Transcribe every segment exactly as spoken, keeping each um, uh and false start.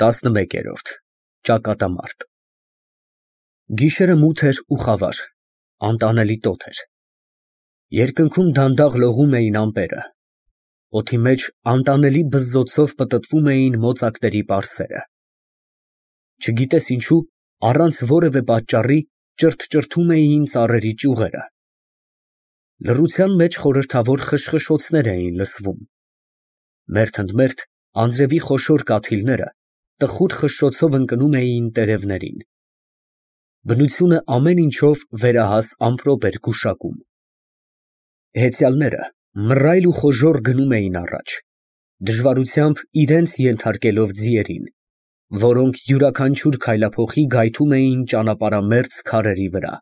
տասնմեկերորդ Ճակատամարտ Գիշերը մութ էր ու խավար, անտանելի տոթ էր։ Երկնքում դանդաղ լողում էին ամպերը, օդի մեջ անտանելի բզզոցով պտտվում էին մոծակների պարսերը։ Չգիտես ինչու, առանց որևէ պատճառի ճրթճրթում էին ծառերի ճյուղերը։ Լռության մեջ խորհրդավոր խշխշոցներ էին լսվում։ Մերթ ընդ մերթ անձրևի խոշոր կաթիլները տխուր խշշոցով ընկնում էին տերևներին։ Բնությունը ամեն ինչով վերահաս ամպրոպ էր գուշակում։ Հեծյալները մռայլ ու խոժոռ գնում էին առաջ, դժվարությամբ իրենց ենթարկելով ձիերին, որոնք յուրաքանչյուր քայլափոխի գայթում էին ճանապարհամերձ քարերի վրա։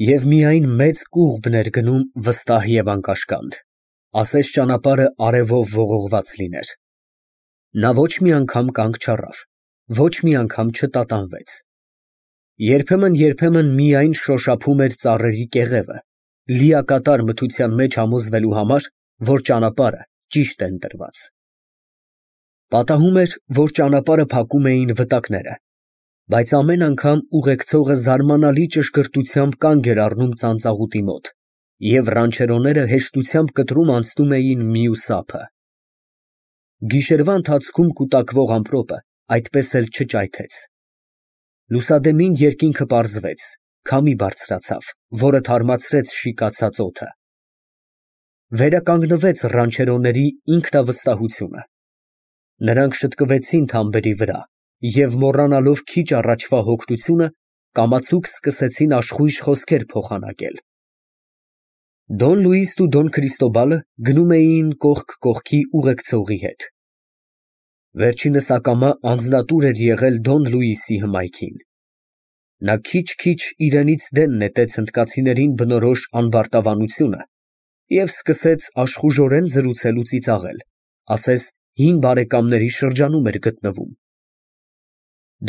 Եվ միայն մեծ կուղբն էր գնում վստահ և անկաշկանդ, ասես ճանապարհը արևով ողողված լիներ։ Նա ոչ մի անգամ կանգ չառավ, ոչ մի անգամ չտատանվեց։ Երբեմն֊երբեմն միայն շոշափում էր ծառերի կեղևը, լիակատար մթության մեջ համոզվելու համար, որ ճանապարհը ճիշտ է ընտրված։ Պատահում էր, որ ճանապարհը փակում էին վտակները, բայց ամեն անգամ ուղեկցողը զարմանալի ճշգրտությամբ կանգ էր առնում ծանծաղուտի մոտ, և ռանչերոները հեշտությամբ կտրում անցնում էին մյուս ափը։ Գիշերվա ընթացքում կուտակվող ամպրոպը այդպես էլ չճայթեց։ Լուսադեմին երկինքը պարզվեց, քամի բարձրացավ, որը թարմացրեց շիկացած օդը։ Վերականգնվեց ռանչերոների ինքնավստահությունը։ Նրանք շտկվեցին թամբերի վրա և, մոռանալով քիչ առաջվա հոգնությունը, կամացուկ սկսեցին աշխույժ խոսքեր փոխանակել։ Դոն Լուիսն ու Դոն Քրիստոբալը գնում էին կողք կողքի ուղեկցողի հետ։ Վերջինս ակամա անձնատուր էր եղել Դոն Լուիսի հմայքին։ Նա քիչ֊քիչ իրենից դեն նետեց հնդկացիներին բնորոշ անբարտավանությունը և սկսեց աշխուժորեն զրուցել ու ծիծաղել, ասես հին բարեկամների շրջանում էր գտնվում։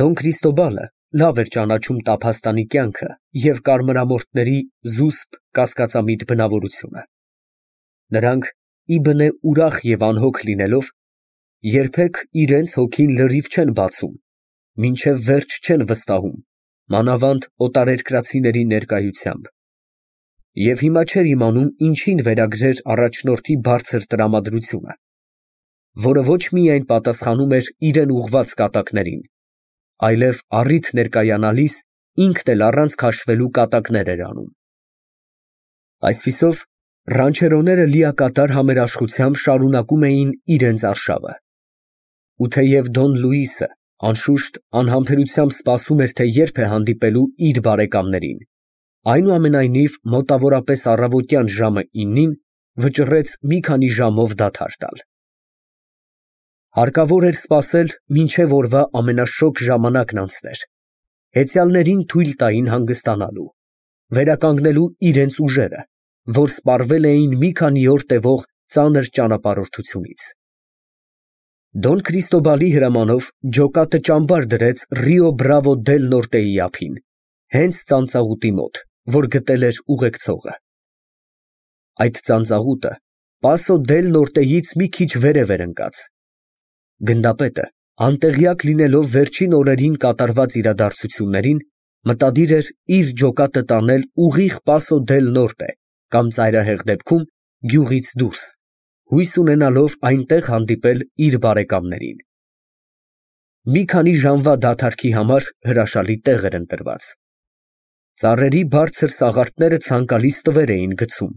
Դոն Քրիստոբալը լավ էր ճանաչում տափաստանի կյանքը և կարմրամորթների զուսպ կասկածամիտ բնավորությունը։ Նրանք, իբնե ուրախ և անհոգ լինելով, երբեք իրենց հոգին լրիվ չեն բացում, մինչև վերջ չեն վստահում, մանավանդ օտարերկրացիների ներկայությամբ։ Եվ հիմա չէր իմանում ինչին վերագրեր առաջնորդի բարձր տրամադրությունը, որը ոչ միայն պատասխանում էր իրեն ուղղված կատակներին, այլև առիթ ներկայանալիս ինքն էլ առանց քաշվելու կատակներ էր անում։ Այսպիսով, ռանչերոները լիակատար համերաշխությամբ շարունակում էին իրենց արշավը։ Ու թեև Դոն Լուիսը անշուշտ անհամբերությամբ սպասում էր, թե երբ է հանդիպելու իր բարեկամներին, այնուամենայնիվ մոտավորապես առավոտյան ժամը իննին վճռեց մի քանի ժամով դադար տալ։ Հարկավոր էր սպասել, մինչև օրվա ամենաշոգ ժամանակն անցներ, հեծյալներին թույլ տային հանգստանալու, վերականգնելու իրենց ուժերը, որ սպառվել էին մի քանի օր տևող ծանր ճանապարհորդությունից։ Դոն Քրիստոբալի հրամանով ջոկատը ճամբար դրեց Ռիո Բրավո դել Նորտեի ափին, հենց ծանծաղուտի մոտ, որ գտել էր ուղեկցողը։ Այդ ծանծաղուտը Պասո դել Նորտեից մի քիչ վերև էր ընկած։ Գնդապետը, անտեղյակ լինելով վերջին օրերին կատարված իրադարձություններին, մտադիր էր իր ջոկատը տանել ուղիղ Պասո դել Նորտե կամ ծայրահեղ դեպքում գյուղից դուրս, հույս ունենալով այնտեղ հանդիպել իր բարեկամներին։ Մի քանի ժամվա դադարքի համար հրաշալի տեղ էր ընտրված։ Ծառերի բարձր սաղարթները ցանկալի ստվեր էին գցում։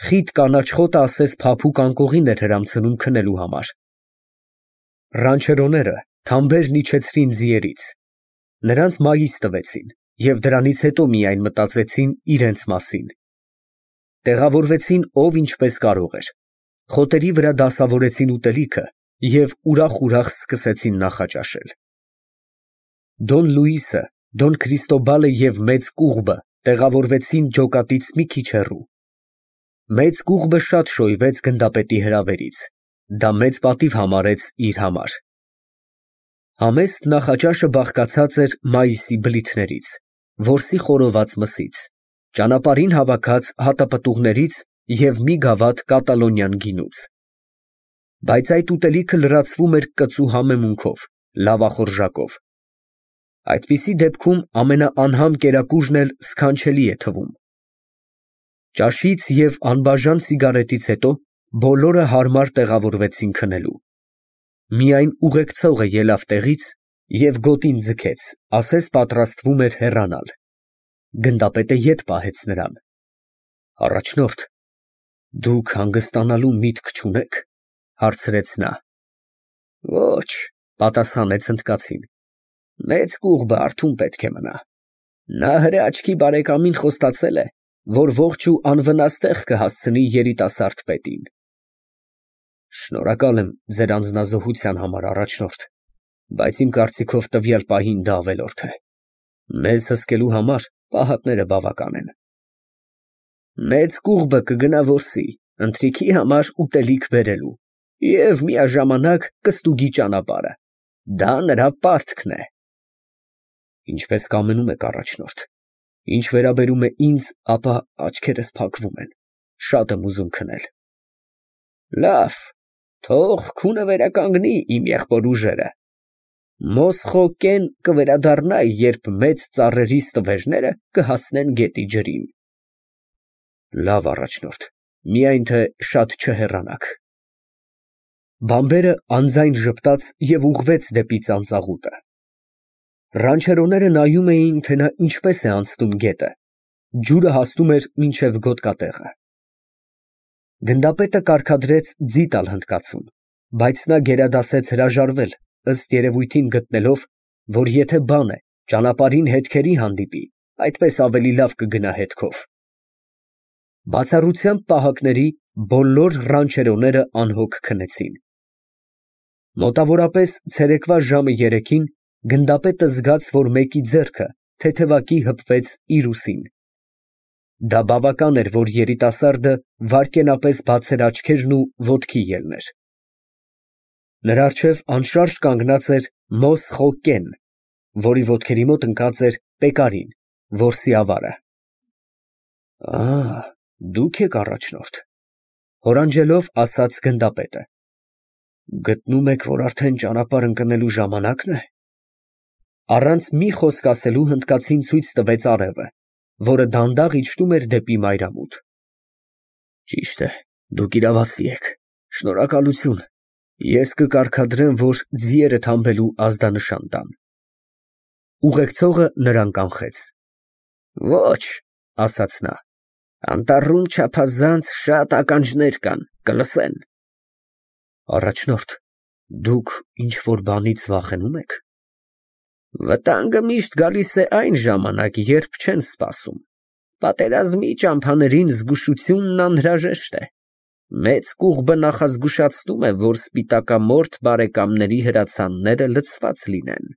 Խիտ կանաչ խոտը ասես փափուկ անկողին էր հրամցնում քնելու համար։ Ռանչերոները թամբերն իջեցրին ձիերից։ Նրանց մայիս տվեցին և դրանից հետո միայն մտածեցին իրենց մասին։ Տեղավորվեցին ով ինչպես կարող էր, խոտերի վրա դասավորեցին ուտելիքը և ուրախ֊ուրախ սկսեցին նախաճաշել։ Դոն Լուիսը, Դոն Քրիստոբալը և մեծ կուղբը տեղավորվեցին ջոկատից մի քիչ հեռու։ Մեծ կուղբը շատ շոյվեց գնդապետի հրավերից, դա մեծ պատիվ համարեց իր համար։ Համեստ նախաճաշը բաղկացած էր մայիսի բլիթներից, որսի խորոված մսից, ճանապարհին հավաքած հատապտուղներից և մի գավաթ կատալոնյան գինուց։ Բայց այդ ուտելիքը լրացվում էր կծու համեմունքով, լավախորժակով։ Այդպիսի դեպքում ամենաանհամ կերակուրն էլ սքանչելի է թվում։ Ճաշից և անբաժան սիգարետից հետո բոլորը հարմար տեղավորվեցին քնելու։ Միայն ուղեկցողը ելավ տեղից և գոտին ձգեց, ասես պատրաստվում էր հեռանալ։ Գնդապետը ետ պահեց նրան։ Առաջնորդ, դուք հանգստանալու միտք չունե՞ք, հարցրեց նա։ Ոչ, պատասխանեց հնդկացին, մեծ կուղբը արթուն պետք է մնա։ Նա հրե աչքի բարեկամին խոստացել է, որ ողջ ու անվնաս տեղ կհասցնի երիտասարդ պետին։ Շնորհակալ եմ ձեր անձնազոհության համար, առաջնորդ, բայց իմ կարծիքով տվյալ պահին դա ավելորդ է։ Մեզ հսկելու համար պահակները բավական են։ Մեծ կուղբը կգնա որսի, ընթրիքի համար ուտելիք բերելու և միաժամանակ կստուգի ճանապարհը։ Դա նրա պարտքն է։ Ինչպես կամենում եք, առաջնորդ։ Ինչ վերաբերում է ինձ, ապա աչքերս փակվում են, շատ եմ ուզում քնել։ Լավ, թող քունը վերականգնի իմ եղբոր ուժերը։ Մոսխոկեն կվերադառնա, երբ մեծ ծառերի ստվերները կհասնեն գետի ջրին։ Լավ, առաջնորդ, միայն թե շատ չհեռանաք։ Բամբերը անձայն ժպտաց և ուղղվեց դեպի ծանծաղուտը։ Ռանչերոները նայում էին, թե նա ինչպես է անցնում գետը։ Ջուրը հասնում էր մինչև գոտկատեղը։ Գնդապետը կարգադրեց ձի տալ հնդկացուն, բայց նա գերադասեց հրաժարվել, ըստ երևույթին գտնելով, որ եթե բան է, ճանապարհին հետքերի հանդիպի, այդպես ավելի լավ կգնա հետքով։ Բացառությամբ պահակների բոլոր ռանչերոները անհոգ քնեցին։ Մոտավորապես ցերեկվա ժամը երեքին գնդապետը զգաց, որ մեկի ձեռքը թեթևակի հպվեց իր ուսին։ Դա բավական էր, որ երիտասարդը վայրկենապես բացեր աչքերն ու ոտքի ելներ։ Նրա առջև անշարժ կանգնած էր Մոսխոկեն, որի ոտքերի մոտ ընկած էր Պեկարին, որսի ավարը։ Ահ, դուք եք առաջնորդ, հորանջելով ասաց գնդապետը։ Գտնում եք, որ արդեն ճանապարհ ընկնելու ժամանակն է։ Առանց մի խոսք ասելու հնդկացին ցույց տվեց արևը, որը դանդաղ իջնում էր դեպի մայրամուտ։ Ճիշտ է, դուք իրավացի եք, շնորհակալություն, ես կկարգադրեմ, որ ձիերը թամբելու ազդանշան տան։ Ուղեկցողը նրան կանխեց։ Ոչ, ասաց նա, անտառում չափազանց շատ ականջներ կան, կլսեն։ Առաջնորդ, դուք ինչ-որ բանից վախենու՞մ եք։ Վտանգը միշտ գալիս է այն ժամանակ, երբ չեն սպասում։ Պատերազմի ճամփաներին զգուշությունն անհրաժեշտ է։ Մեծ կուղբը նախազգուշացնում է, որ սպիտակամորթ բարեկամների հրացանները լցված լինեն։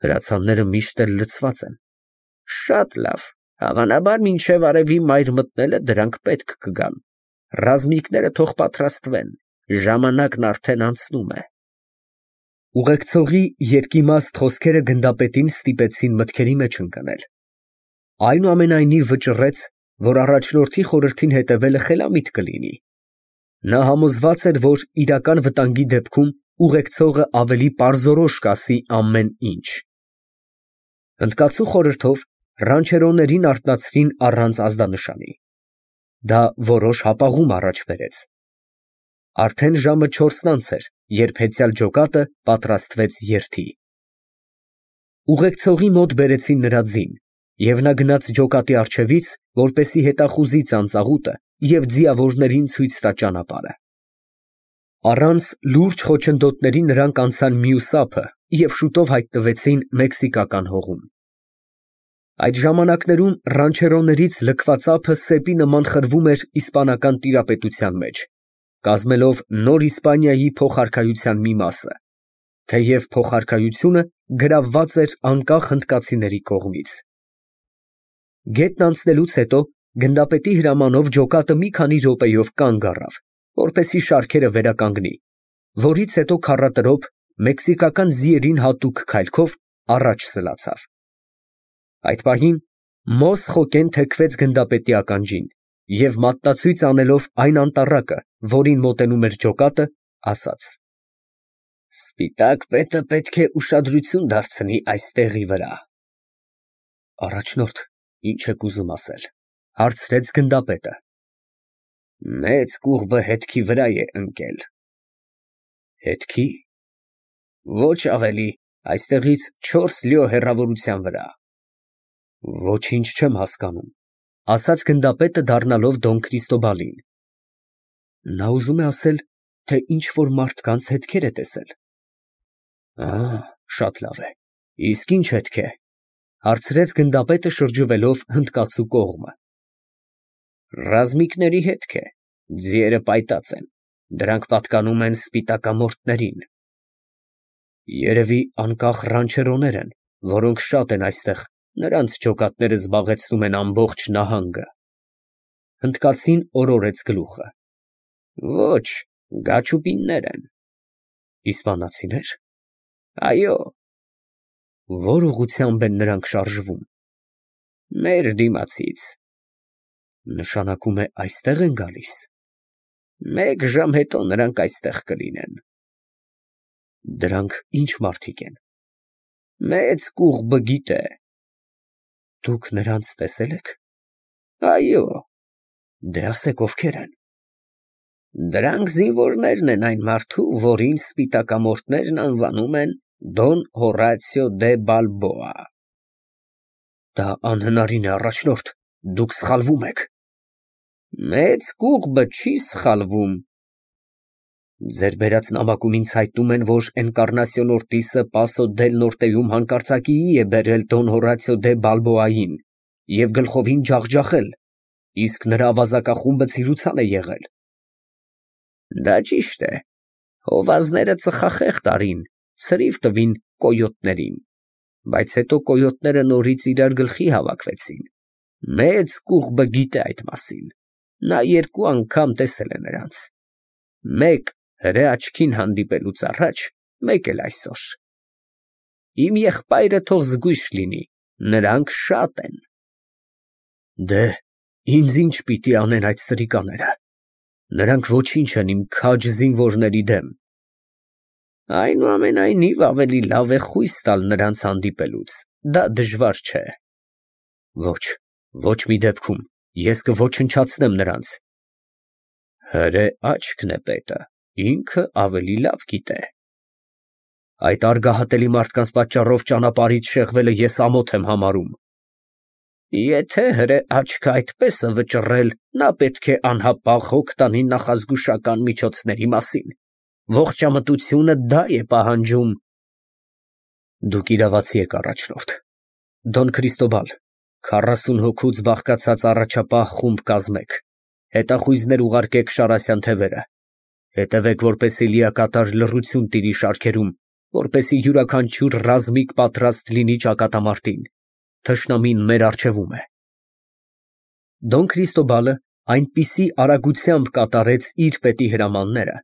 Հրացանները միշտ էլ լցված են։ Շատ լավ, հավանաբար մինչև արևի մայր մտնելը դրանք պետք կգան։ Ռազմիկները թող պատրաստվեն, ժամանակն արդեն անցնում է։ Ուղեկցողի երկիմաստ խոսքերը գնդապետին ստիպեցին մտքերի մեջ ընկնել։ Այնուամենայնիվ վճռեց, որ առաջնորդի խորհրդին հետևելը խելամիտ կլինի։ Նա համոզված էր, որ իրական վտանգի դեպքում ուղեկցողը ավելի պարզորոշ կասի ամեն ինչ։ Հնդկացու խորհրդով ռանչերոներին արթնացրին առանց ազդանշանի։ Դա որոշ հապաղում առաջ բերեց։ Արդեն ժամը չորսն անց էր, երբ հեծյալ ջոկատը պատրաստվեց երթի։ Ուղեկցողի մոտ բերեցին նրա ձին, և նա գնաց ջոկատի առջևից, որպեսզի հետախուզի ծանծաղուտը և ձիավորներին ցույց տա ճանապարհը։ Առանց լուրջ խոչընդոտների նրանք անցան մյուս ափը և շուտով հայտնվեցին մեքսիկական հողում։ Այդ ժամանակներում ռանչերոներից լքված ափը սեպի նման խրվում էր իսպանական տիրապետության մեջ, կազմելով նոր Իսպանիայի փոխարքայության մի մասը, թեև փոխարքայությունը գրավված էր անկախ հնդկացիների կողմից։ Գետն անցնելուց հետո գնդապետի հրամանով ջոկատը մի քանի րոպեով կանգ առավ, որպեսզի շարքերը վերականգնի, որից հետո քառատրոփ մեքսիկական ձիերին հատուկ քայլքով առաջ սլացավ։ Այդ պահին Մոսխոկեն թեքվեց գնդապետի ականջին և մատնացույց անելով այն անտառակը, որին մոտենում էր ջոկատը, ասաց. Սպիտակ պետը պետք է ուշադրություն դարձնի այս տեղի վրա։ Առաջնորդ, ինչ եք ուզում ասել, հարցրեց գնդապետը։ Մեծ կուղբը հետքի վրա է ընկել։ Հետքի։ Ոչ ավելի, այստեղից չորս լյո հեռավորության վրա։ Ոչինչ չեմ հասկանում, ասաց գնդապետը դառնալով Դոն Քրիստոբալին։ Նա ուզում է ասել, թե ինչ որ մարդկանց հետքեր է տեսել։ Ահ, շատ լավ է, իսկ ինչ հետք է, հարցրեց գնդապետը շրջվելով հնդկացու կողմը։ Ռազմիկների հետք է, ձիերը պայտած են, դրանք պատկանում են սպիտակամորթներին։ Երևի անկախ ռանչերոներ են, որոնք շատ են այստեղ, նրանց ջոկատները զբաղեցնում են ամբողջ նահանգը։ Հնդկացին օրորեց գլուխը։ Ոչ, գաչուպիններ են։ Իսպանացիներ։ Այո։ Որ ուղղությամբ են նրանք շարժվում։ Մեր դիմացից։ Նշանակում է այստեղ են գալիս։ Մեկ ժամ հետո նրանք այստեղ կլինեն։ Դրանք ինչ մարդիկ են։ Մեծ կուղբը գիտե։ Դուք նրանց տեսել եք։ Այո։ Դե ասեք ովքեր են։ Դրանք զինվորներն են այն մարդու, որին սպիտակամորթներն անվանում են Դոն Հորացիո դե Բալբոա։ Դա անհնարին է, առաջնորդ, դուք սխալվում եք։ Մեծ կուղբը չի սխալվում։ Ձեր բերած նամակում ինձ հայտնում են, որ Էնկառնասիոն Օրտիսը Պասո դել Նորտեում հանկարծակիի է բերել Դոն Հորացիո դե Բալբոային և գլխովին ջախջախել, իսկ նրա ավազակախումբը ցիրուցան է եղել։ Դա ճիշտ է, հովազները ծխախեղտ արին, ցրիվ տվին կոյոտներին, բայց հետո կոյոտները նորից իրար գլխի հավաքվեցին։ Մեծ կուղբը գիտե այդ մասին, նա երկու անգամ տեսել է նրանց։ Մեկ հրե աչքին հանդիպելուց առաջ, մեկ էլ այսօր։ Իմ եղբայրը թող զգույշ լինի, նրանք շատ են։ Դե, ինձ ինչ պիտի անեն այդ սրիկաները։ Նրանք ոչինչ են իմ քաջ զինվորների դեմ։ Այնուամենայնիվ ավելի լավ է խույս տալ նրանց հանդիպելուց, դա դժվար չէ։ Ոչ, ոչ մի դեպքում, ես կոչնչացնեմ նրանց։ Հրե աչքն է պետը, ինքը ավելի լավ գիտե։ Այդ արգահատելի մարդկանց պատճառով ճանապարհից շեղվելը ես ամոթ եմ համարում։ Եթե հրե աչքը այդպես է վճռել, նա պետք է անհապաղ հոգ տանի նախազգուշական միջոցների մասին։ Ողջամտությունը դա է պահանջում։ Դուք իրավացի եք, առաջնորդ։ Դոն Քրիստոբալ, քառասուն հոգուց բաղկացած առաջապահ խումբ կազմեք, հետախույզներ ուղարկեք Շարասյան թևերը, հետևեք, որպեսզի լիակատար լռություն տիրի շարքերում, որպեսզի յուրաքանչյուր ռազմիկ պատրաստ լինի ճակատամարտին, թշնամին մեր առջևում է։ Դոն Քրիստոբալը այնպիսի արագությամբ կատարեց իր պետի հրամանները,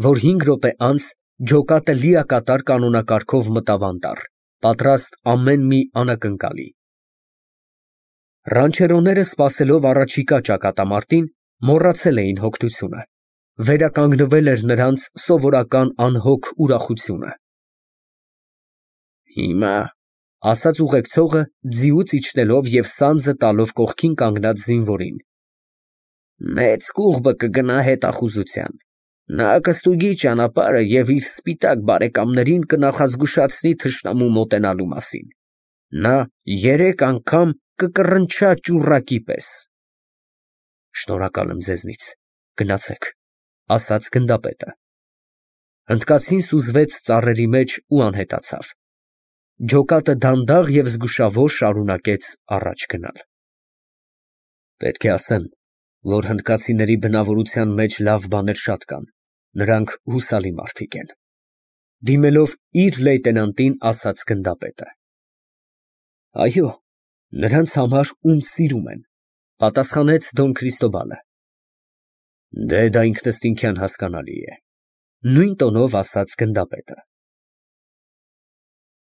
որ հինգ րոպե անց ջոկատը լիակատար կանոնակարգով մտավ անտառ, պատրաստ ամեն մի անակնկալի։ Ռանչերոները սպասելով առաջիկա ճակատամարտին, մոռացել էին հոգնությունը, վերականգնվել էր նրանց սովորական անհոգ ուրախությունը։ Հիմա, ասաց ուղեկցողը, ձիուց իջնելով և սանձը տալով կողքին կանգնած զինվորին, մեծ կուղբը կգնա հետախուզության, նա կստուգի ճանապարհը և իր սպիտակ բարեկամներին կնախազգուշացնի թշնամու մոտենալու մասին, նա երեք անգամ կկռնչա ճուռակի պես։ Շնորհակալ եմ ձեզնից, գնացեք, ասաց գնդապետը։ Հնդկացին սուզվեց ծառերի մեջ ու անհետացավ։ Ջոկատը դանդաղ և զգուշավոր շարունակեց առաջ գնալ։ Պետք է ասեմ, որ հնդկացիների բնավորության մեջ լավ բաներ շատ կան, նրանք հուսալի մարդիկ են։ Դիմելով իր լեյտենանտին, ասաց գնդապետը։ Այո, նրանց համար, ում սիրում են, պատասխանեց Դոն Քրիստոբալը։ Դե դա ինքնըստինքյան հասկանալի է, նույն տոնով ասաց գնդապետը։